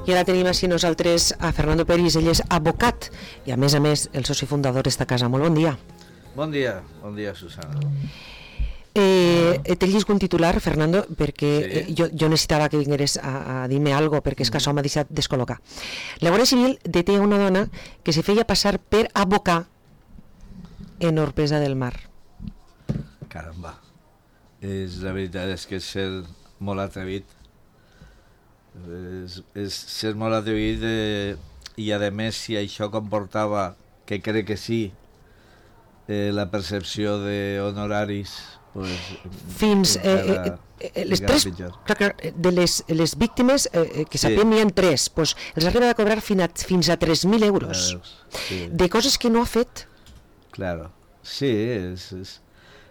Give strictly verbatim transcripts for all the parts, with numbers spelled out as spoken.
I ara tenim així nosaltres a Fernando Peris, ell és advocat i a més a més el soci fundador d'esta casa. Molt bon dia. Bon dia, bon dia, Susana. Eh, T'he llegit un titular, Fernando, perquè Sí. eh, jo, jo necessitava que vingueres a, a dir-me alguna cosa, perquè és que això m'ha deixat descol·locar. La Guàrdia Civil deté una dona que se feia passar per advocar en Orpesa del Mar. Caramba. És, la veritat és que és ser molt atrevit. És, és ser molt atrevit eh, i a més si això comportava, que crec que sí, eh, la percepció d'honoraris, pues, Fins eh, encara- eh, eh, les encara tres, pitjor. clar, clar, de les, les víctimes eh, que Sí. sapiem n'hi ha tres, pues, els ha arribat a cobrar fins a, fins a tres mil euros Veus? Sí. de coses que no ha fet. Claro, sí, és, és...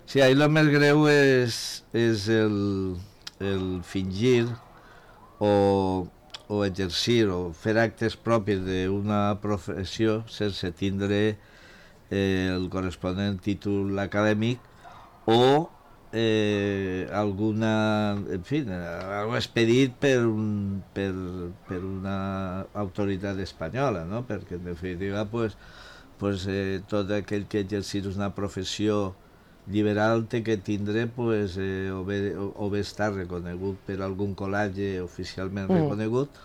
Sí, ahí lo més greu és, és el, el fingir o, o exercir o fer actes propis d'una professió sense tindre eh, el corresponent títol acadèmic o eh, alguna, en fi, algo expedit per, un, per, per una autoritat espanyola, no? Perquè en definitiva pues, pues, eh, tot aquell que exercís una professió liberal té que tindre pues, eh, o, bé, o, o bé estar reconegut per algun col·legi oficialment Mm. reconegut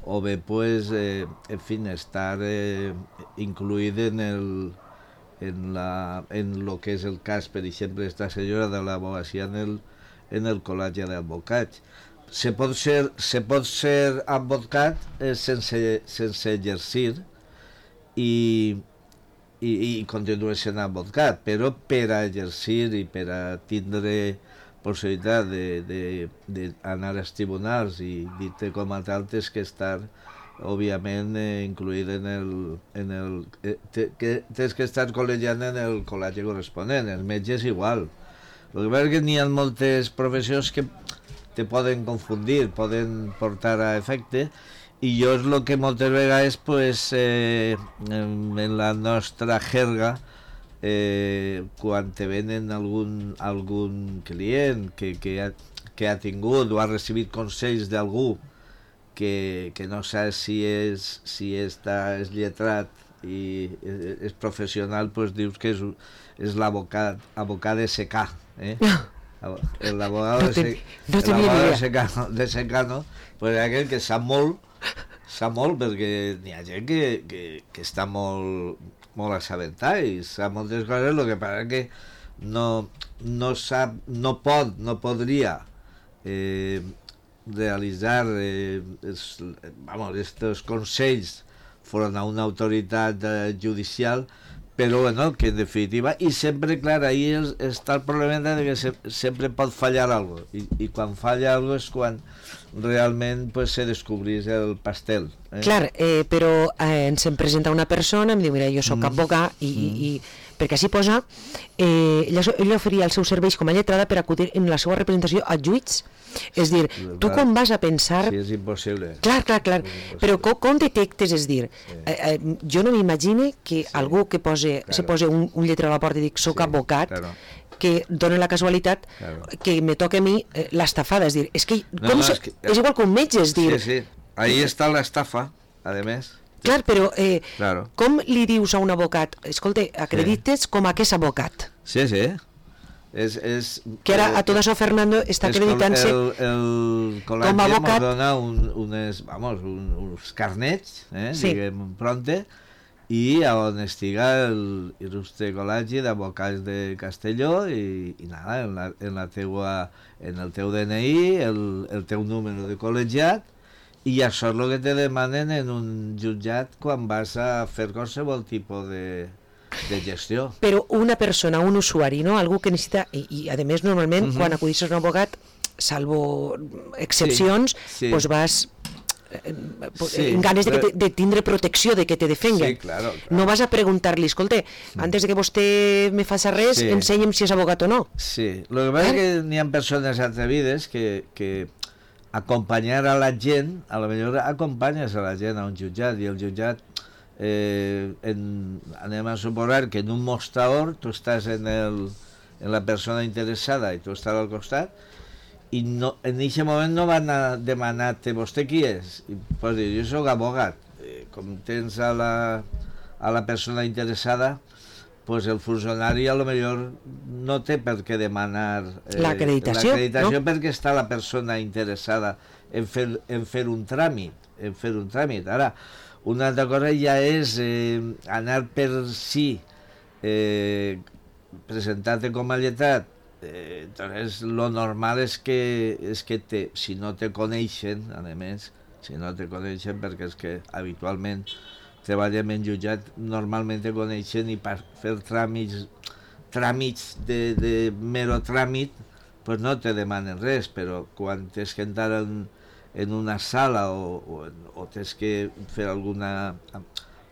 o bé pues, eh, en fi, estar eh, incluït en el en, la, en lo que és el cas, per exemple, esta senyora de l'abogacia en el, en el col·legi d'advocats. Se pot ser, se pot ser advocat eh, sense, sense exercir i, i, i continuar sent advocat, però per a exercir i per a tindre possibilitat d'anar als tribunals i dir-te com a tal tens que estar òbviament eh, incluït en el, en el eh, te, que tens que estar col·legiant en el col·legi corresponent. Els metges igual. El que passa és que n'hi ha moltes professions que te poden confundir, poden portar a efecte, i jo és el que moltes vegades pues, eh, en, en la nostra jerga eh, quan te venen algun, algun client que, que, ha, que ha tingut o ha recibit consells d'algú que, que no saps si és, si està és lletrat i és, és professional, pues dius que és, és l'abocat abocat de secà, eh? L'abogat No de, ten- se, no tenia l'abogat ni de idea. secano, de secano pues aquell que sap molt, sap molt perquè n'hi ha gent que, que, que està molt, molt assabentada i sap moltes coses, el que passa que no, no sap, no pot, no podria eh, realitzar eh, es, vamos, estos consells foren a una autoritat eh, judicial, però bueno, que en definitiva, i sempre, clar, ahí es, està el problema de que se, sempre pot fallar algo, i, i quan falla algo és quan realment pues, se descobrís el pastel. Eh? Clar, eh, però eh, ens em presenta una persona, em diu, mira, jo sóc Mm. advocat, i, Mm. i, i perquè així posa, eh, ella, ella oferia els seus serveis com a lletrada per acudir en la seva representació a juits. És dir, tu clar. quan vas a pensar... Sí, és impossible. Clar, clar, clar, impossible. però com, com detectes, és dir, Sí. eh, eh, jo no m'imagine que Sí. algú que pose, Claro. se posa un, un lletre a la porta i dic, soc Sí, advocat, claro. que dona la casualitat Claro. que me toca a mi eh, l'estafada, és dir, és que, No, com no, se, és que- és igual que un metge, és dir, Sí, sí. Ahí està l'estafa, a més. clar, però eh, Claro. com li dius a un abocat, escolta, acredites com a que és abocat? Sí, sí. És, és, Que ara a tot això Fernando està és acreditant-se el, el col·legi com a abocat. ens dona un, unes, vamos, un, uns carnets, eh, Sí. diguem, pronte, i a on estiga el il·lustre col·legi d'advocats de Castelló i, i nada, en, la, en, la teua, en el teu D N I, el, el teu número de col·legiat, i això és el que te demanen en un jutjat quan vas a fer qualsevol tipus de, de gestió. Però una persona, un usuari, no? Algú que necessita, i, i a més normalment, Mhm. quan acudisses a un abogat, salvo excepcions, Sí, sí. pues vas eh, Sí, en ganes de, que però- te, de tindre protecció, de que te defenguen. Sí, claro, claro. No vas a preguntar-li, escolta, antes de que vostè me faci res, Sí. ensenya'm si és abogat o no. Sí, el que passa és que n'hi ha persones atrevides que, que acompanyar a la gent, a lo millor acompanyes a la gent a un jutjat i el jutjat eh, en, anem a suposar que en un mostrador tu estàs en, el, en la persona interessada i tu estàs al costat i no, en aquest moment no van a demanar-te vostè qui és, i pots dir, jo soc abogat. Eh, com tens a la, a la persona interessada, pues el funcionari a lo millor no té per què demanar eh, l'acreditació, l'acreditació no? perquè està la persona interessada en fer, en fer un tràmit, en fer un tràmit. Ara, una altra cosa ja és eh, anar per si, eh, presentar-te com a lletrat. Eh, entonces, lo normal és que, és que te, si no te coneixen, a més, si no te coneixen, perquè és que habitualment treballem en jutjat, normalment te coneixen i per fer tràmits, tràmits de, de mero tràmit, pues no te demanen res, però quan tens que entrar en, en una sala o, o, o tens que fer alguna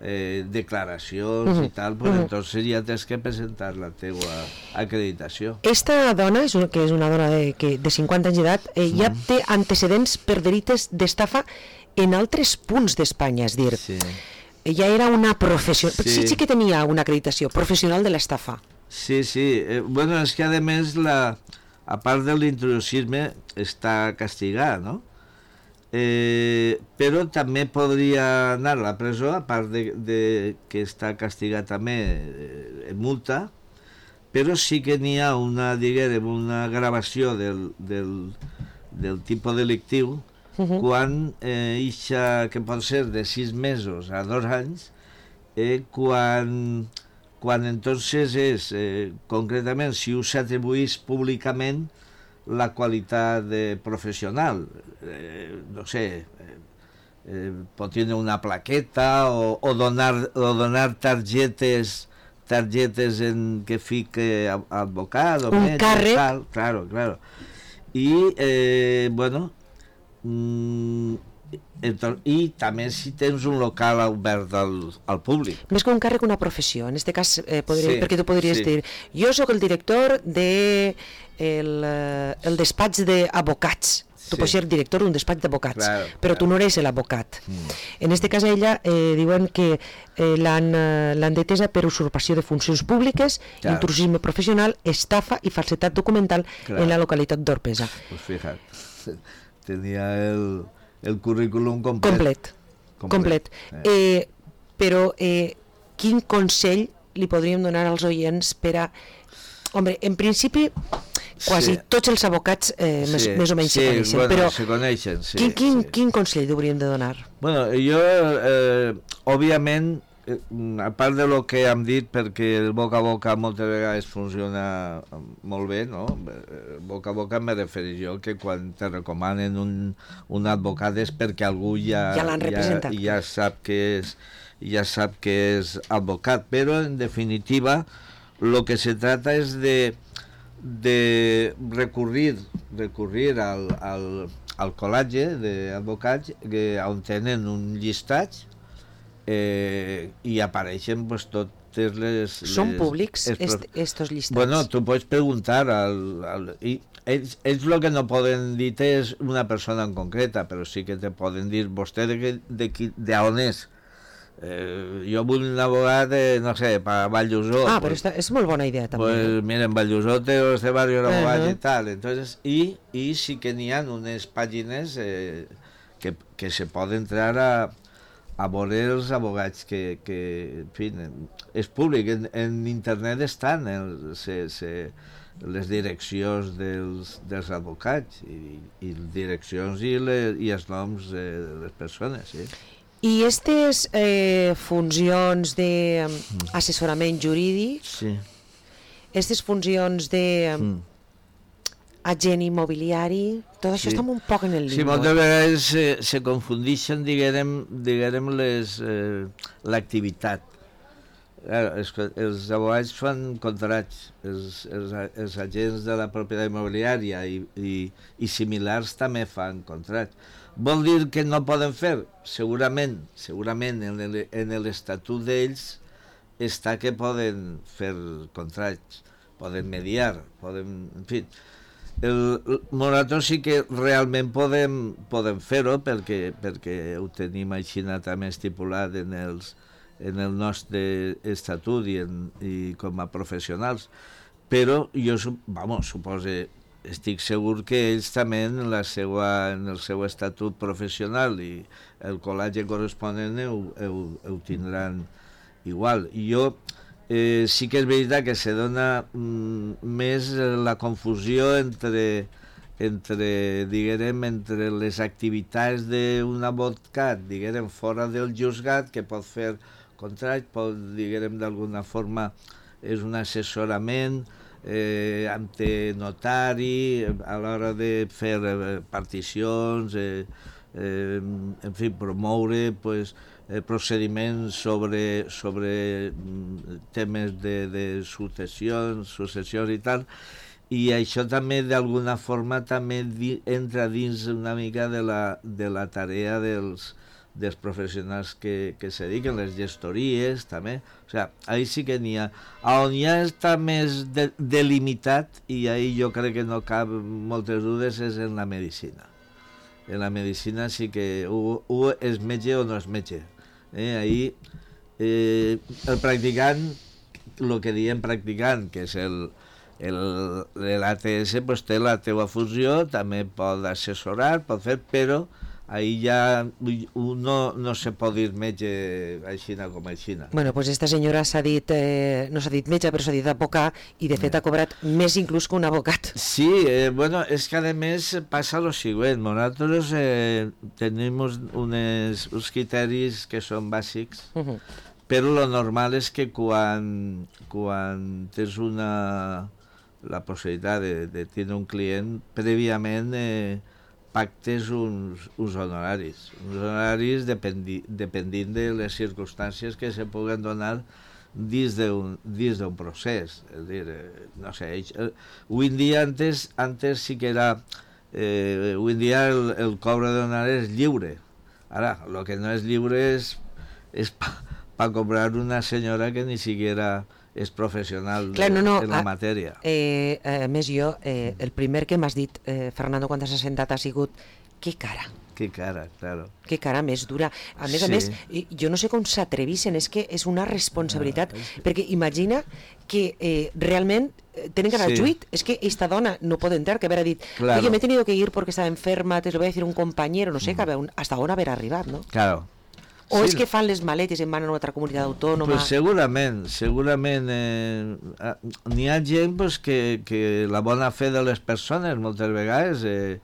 eh, declaracions uh-huh. i tal, pues uh-huh. entonces ja tens que presentar la teua acreditació. Esta dona, és una, que és una dona de, que, de cinquanta anys d'edat, eh, ja uh-huh. té antecedents per delites d'estafa en altres punts d'Espanya, és dir... Sí. Ella era una professional, sí. sí, sí que tenia una acreditació professional de l'estafa. Sí, sí, eh, bueno, és que a més, la, a part de l'intrusisme, està castigada, no? Eh, però també podria anar a la presó, a part de, de que està castigat també eh, en multa, però sí que n'hi ha una, diguem, una gravació del, del, del tipus delictiu. Uh-huh. Quan eh, ixa, que pot ser de sis mesos a dos anys, eh, quan, quan entonces és, eh, concretament, si us atribuís públicament la qualitat de professional, eh, no sé, eh, eh, pot tenir una plaqueta o, o, donar, o donar targetes targetes en que fique advocat o un metge, càrrec. Tal, claro, claro. I, eh, bueno, Mm, entonces, i també si tens un local obert al, al públic. Més que un càrrec, una professió. En este cas, eh, podria, sí, perquè tu podries sí. dir, jo sóc el director de el, el despatx d'advocats. Tu sí. pots ser director d'un despatx d'advocats, claro, però claro. tu no eres l'abocat. Mm. En este cas, ella eh, diuen que eh, l'han eh, detesa per usurpació de funcions públiques, claro. intrusisme professional, estafa i falsetat documental claro. en la localitat d'Orpesa. Pues fíjate. Tenia el, el currículum complet. Complet, complet. complet. Eh, però eh, quin consell li podríem donar als oients per a... Home, en principi, quasi sí. tots els advocats eh, sí. més, més o menys sí, se coneixen, bueno, però se coneixen, sí, quin, quin, sí. quin consell hauríem de donar? Bueno, jo, eh, òbviament, a part de lo que hem dit, perquè el boca a boca moltes vegades funciona molt bé, no? Boca a boca me refereix jo que quan te recomanen un, un advocat és perquè algú ja, ja, ja, ja sap que és ja sap que és advocat, però en definitiva lo que se trata és de, de recurrir, recurrir al, al, al col·legi d'advocats on tenen un llistat Eh, i apareixen pues, totes les... Són les, públics est, estos llistats? Bueno, tu pots preguntar al, al, i ells, ells el que no poden dir és una persona en concreta, però sí que te poden dir vostè de, de, de, de on és. Eh, jo vull un abogat de, no sé, per Valldosó. Ah, pues, però està, és molt bona idea també. Pues mira, en Valldosó té este barri un abogat uh-huh. i tal. Entonces, i, i sí que n'hi ha unes pàgines eh, que, que se poden entrar a a veure els abogats que, que en fi, és públic, en, en internet estan el, se, se, les direccions dels, dels advocats i, i direccions i, le, i els noms de les persones, sí. I aquestes eh, funcions d'assessorament jurídic, sí. aquestes funcions de... Mm. agent immobiliari, tot això sí. està un poc en el limbo. Sí, moltes vegades se, se confundixen, diguem, diguem les, eh, l'activitat. Els, els abogats fan contrats, els, els, els agents de la propietat immobiliària i, i, i similars també fan contrats. Vol dir que no poden fer? Segurament, segurament en l'estatut d'ells està que poden fer contrats, poden mediar, poden... En fi, el nosaltres sí que realment podem, podem fer-ho perquè, perquè ho tenim així també estipulat en, els, en el nostre estatut i, en, i com a professionals, però jo vamos, suposo estic segur que ells també en, la seua, en el seu estatut professional i el col·legi corresponent ho, ho, ho tindran igual. I jo eh, sí que és veritat que se dona mm, més la confusió entre, entre, diguem, entre les activitats d'un advocat, diguem, fora del juzgat, que pot fer contracte, pot, diguem, d'alguna forma és un assessorament eh, ante notari a l'hora de fer eh, particions, eh, eh, en fi, promoure pues, eh, procediments sobre, sobre temes de, de successions, successions i tal, i això també d'alguna forma també di, entra dins una mica de la, de la tarea dels dels professionals que, que se dediquen, les gestories també, o sigui, ahí sí que n'hi ha. On ja està més de, delimitat, i ahí jo crec que no cap moltes dudes, és en la medicina. En la medicina sí que o, o és metge o no és metge. Eh? Ahí eh, el practicant, el que diem practicant, que és el l'A T S, pues, té la teua funció, també pot assessorar, pot fer, però ahí ja no, no se pot dir metge aixina com aixina. Bueno, pues esta senyora s'ha dit, eh, no s'ha dit metge, però s'ha dit advocat, i de fet ha cobrat més inclús que un advocat. Sí, eh, bueno, és que a més passa lo següent, nosaltres eh, tenim unes, uns criteris que són bàsics, uh -huh. però lo normal és que quan, quan tens una, la possibilitat de, de tenir un client, prèviament eh, pactes uns, uns honoraris, uns honoraris dependi, dependint de les circumstàncies que se puguen donar dins d'un d'un procés. És dir, eh, no sé, eh, avui en dia, antes, antes sí que era, eh, avui en dia el, el cobre d'honoraris és lliure. Ara, el que no és lliure és, és pa, pa cobrar una senyora que ni siquiera és professional Clar, no, no, en la a, matèria. Eh, a més jo, eh, el primer que m'has dit, eh, Fernando, quan t'has assentat ha sigut que cara. Que cara, claro. Que cara més dura. A més sí. a més, jo no sé com s'atrevissin, és que és una responsabilitat, ah, és que... perquè imagina que eh, realment tenen que anar sí. al juit, és que esta dona no pot entrar, que haver dit, claro. Oye, me he tenido que ir porque estaba enferma, te lo voy a decir un compañero, no sé, mm. que hasta on haver arribat, no? Claro. O sí. és que fan les maletes i en van a una altra comunitat autònoma? Pues segurament, segurament eh, n'hi ha gent pues, que, que la bona fe de les persones moltes vegades eh,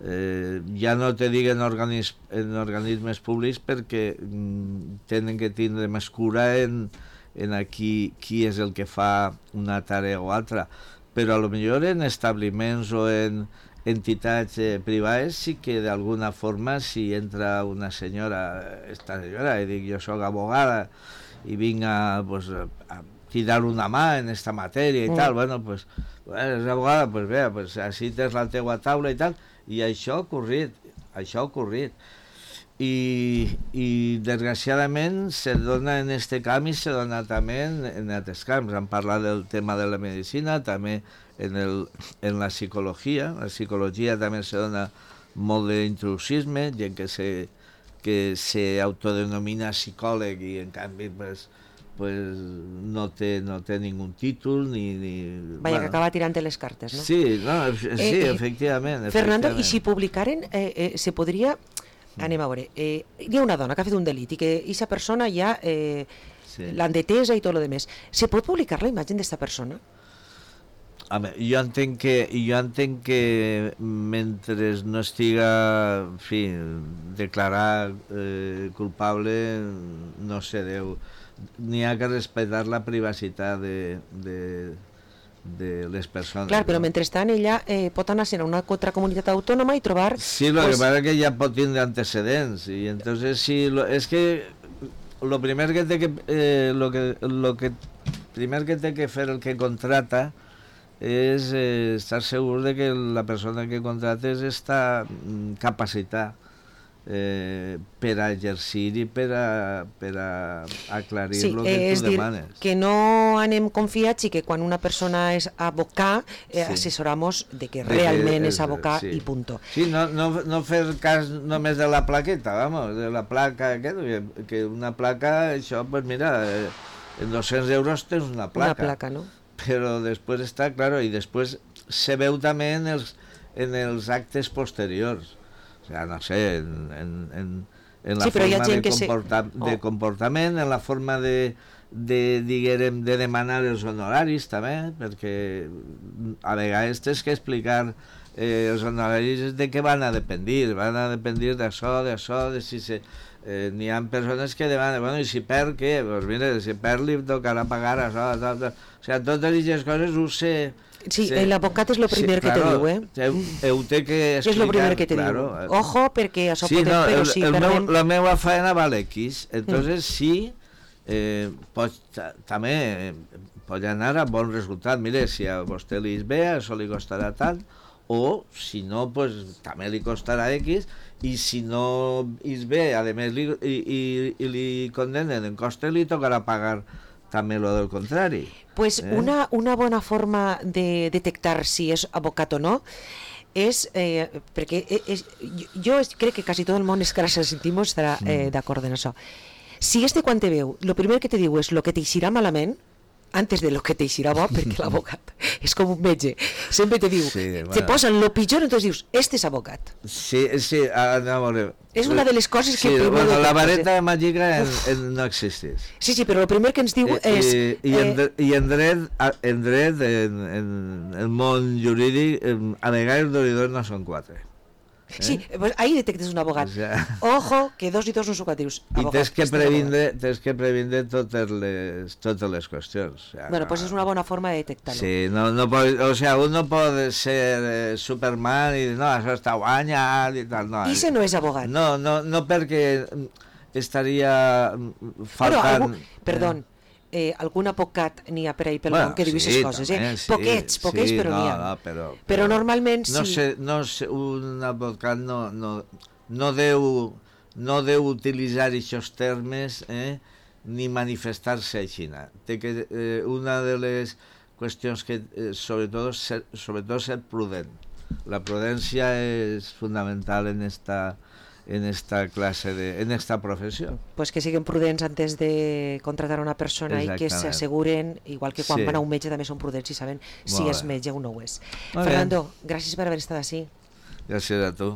eh, ja no te diguen organism, en organismes públics perquè mm, tenen que tindre més cura en, en aquí, qui és el que fa una tarea o altra, però a lo millor en establiments o en entitats eh, privades sí que d'alguna forma si entra una senyora, esta senyora, i dic jo soc abogada i vinc a, pues, a tirar una mà en esta matèria i mm. tal, bueno, pues, és abogada, pues bé, pues, així tens la teua taula i tal, i això ha ocorrit, això ha ocorrit. I, i desgraciadament se dona en este camp i se dona també en, en altres camps. Han parlat del tema de la medicina, també en, el, en la psicologia. La psicologia també se dona molt d'intrusisme, gent que se, que se autodenomina psicòleg i en canvi pues, pues, no, té, no té ningú títol ni... ni Vaya, bueno. Que acaba tirant les cartes, no? Sí, no, sí eh, eh, efectivament. Fernando, efectivament. i si publicaren, eh, eh, se podria... Anem a veure, eh, hi ha una dona que ha fet un delit i que aquesta persona ja eh, sí. l'han detesa i tot el demés. Se pot publicar la imatge d'esta persona? Home, jo entenc que, jo entenc que mentre no estiga, en fi, declarat eh, culpable, no se deu. N'hi ha que respectar la privacitat de... de de les persones. Clar, però no? Mentrestant ella eh, pot anar a una altra comunitat autònoma i trobar... Sí, lo pues... que pasa es que ja pot tindre antecedents i entonces sí, lo, es que lo primer que té que, eh, lo que lo que primer que té que fer el que contrata és eh, estar segur de que la persona que contrates està capacitada eh, per a exercir i per a, per a aclarir sí, el que eh, tu demanes. Dir, que no anem confiats i que quan una persona és abocat eh, sí. assessoramos de que de realment que és, és abocat sí. i punto. Sí, no, no, no fer cas només de la plaqueta, vamos, de la placa, que, que una placa, això, pues mira, eh, en dos-cents euros tens una placa. Una placa, no? però després està, claro, i després se veu també en els, en els actes posteriors. O sea, no sé, en, en, en, en la sí, forma de, que comporta, se... oh. de comportament, en la forma de, de, diguérem, de demanar els honoraris també, perquè a vegades tens que explicar eh, els honoraris de què van a dependir, van a dependir d'això, d'això, de si se... Eh, n'hi ha persones que demanen, bueno, i si perd què? Doncs mira, si perd li tocarà pagar això, això, això. O sigui, totes aquestes coses ho sé. Sí, sé. L'advocat és el primer sí, que claro, te diu, eh? Heu, heu té que explicar. És el primer que te claro. diu. Ojo, perquè això sí, pot... No, però el, si el perdem... meu, la meva feina val X, entonces mm. sí, eh, pot, també eh, pot anar a bon resultat. Mire, si a vostè li és bé, això li costarà tant, o si no, pues també li costarà X, i si no és bé, a més li, i, i, i li condenen en coste, li tocarà pagar també lo del contrari. Pues eh? una, una bona forma de detectar si és abocat o no és, eh, perquè és, jo crec que quasi tot el món, és que ara se sentim, estarà eh, d'acord en això. Si este quan te veu, el primer que te diu és el que t'eixirà malament, antes de lo que t'eixirà bo, perquè l'abocat és com un metge, sempre te diu, sí, bueno. te posen lo pitjor, entonces dius, este és abocat. Sí, sí, a veure. És una de les coses que... Sí, bueno, la vareta màgica en, en no existeix. Sí, sí, però el primer que ens diu I, és... I, i, en, eh, i en dret, en, dret en, en el món jurídic, a vegades els donadors no són quatre. Eh? Sí, pues ahí detectes un abogat. O sea, ojo, que dos i dos no són quatre. I tens que previndre, tens que previndre totes les, totes les qüestions. O sea, bueno, pues és una bona forma de detectar-lo. Sí, no, no pot, o sea, un no pot ser eh, Superman i dir, no, això està guanyat i tal. No, I se no és abogat. No, no, no perquè estaria faltant... Algú, perdó, eh, Eh, algun abocat n'hi ha per ahí pel bueno, món que diu aquestes sí, coses, eh? Sí, poquets, poquets, sí, però n'hi ha. No, però, però, però normalment no sí. Sé, no sé, un abocat no, no, no, deu, no deu utilitzar aquests termes eh, ni manifestar-se així. Té que, eh, una de les qüestions que, eh, sobretot, ser, sobretot ser prudent. La prudència és fundamental en esta... en esta clase de, en esta profesión. Pues que siguen prudents antes de contratar a una persona i que s'asseguren, igual que quan sí. van a un metge també són prudents i saben si és metge o no ho és. Molt Fernando, bé. Gràcies per haver estat així. Gràcies a tu.